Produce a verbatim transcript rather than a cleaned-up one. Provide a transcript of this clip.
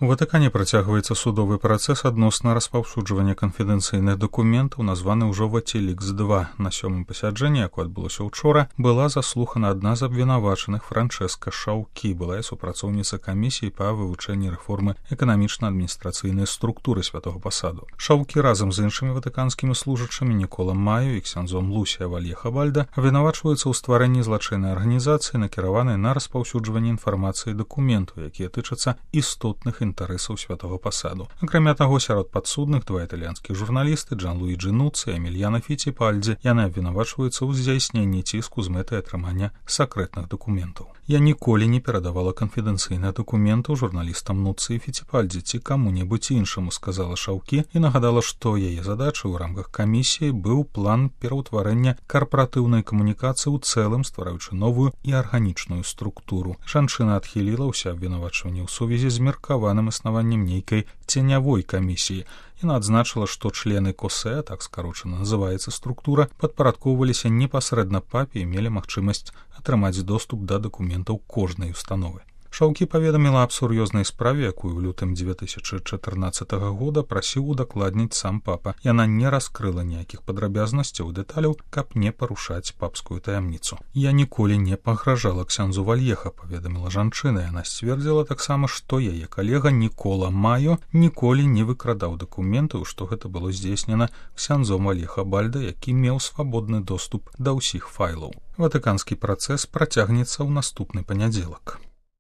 У Ватыкане працягваецца судовы працэс адносна распаўсюджвання канфідэнцыйных дакументаў, названы ўжо Вацілікс два. На сёмым пасяджэнні, якое адбылося ўчора, была заслухана адна з абвінавачаных Франчэска Шаўкі, былая супрацоўніца камісіі па вывучэнні рэформы эканамічна-адміністрацыйнай структуры святого пасаду. Шаўкі разам з іншымі ватыканскімі служачымі Нікола Маю і ксяндзом Лусія Вальеха-Бальда абвінавачваюцца ў стварэнні злачыннай арганізацыі, накіраванай на распаўсюджванне інфармацыі дакументаў, якія тычацца істотных інтарэсаў святого пасаду. Акрамя таго, сярод падсудных два італьянскіх журналісты Джан-Луіджі Нуцци і Эмільяна Фіціпальдзі. Яны абвінавачваюцца ў здзяйсненні ціску з мэтай атрымання сакрэтных дакументаў. Я ніколі не перадавала канфідэнцыйных дакументаў журналістам Нуцци і Фіціпальдзі ці каму-небудзь іншаму, сказала Шаўкі і нагадала, што яе задачай у рамках камісіі быў план пераўтварэння карпаратыўнай камунікацыі ў цэлым, ствараючы новую і арганічную структуру. Жанчына адхіліла ўсе абвінавачванні ў сувязі з меркаваным існаваннем нейкай ценявой камісіі. Яна адзначыла, што члены КОСЭ, так скарочана называецца структура, падпарадкоўваліся непасрэдна папе і мелі магчымасць атрымаць доступ да дакументаў кожнай установы. Шаўкі паведаміла аб сур'ёзнай справе, якую ў лютым дзве тысячы чатырнаццатага года прасіў удакладніць сам папа. Яна не раскрыла ніякіх падрабязнасцяў і дэталяў, каб не парушаць папскую таямніцу. Я ніколі не пагражала ксяндзу Вальеха, паведаміла жанчына. Яна сцвердзіла таксама, што яе калега Нікола Маё ніколі не выкрадаў дакументаў, што гэта было здзейснена ксяндзом Вальеха-Бальда, які меў свабодны доступ да ўсіх файлаў. Ватыканскі працэс працягнецца ў наступны панядзелак.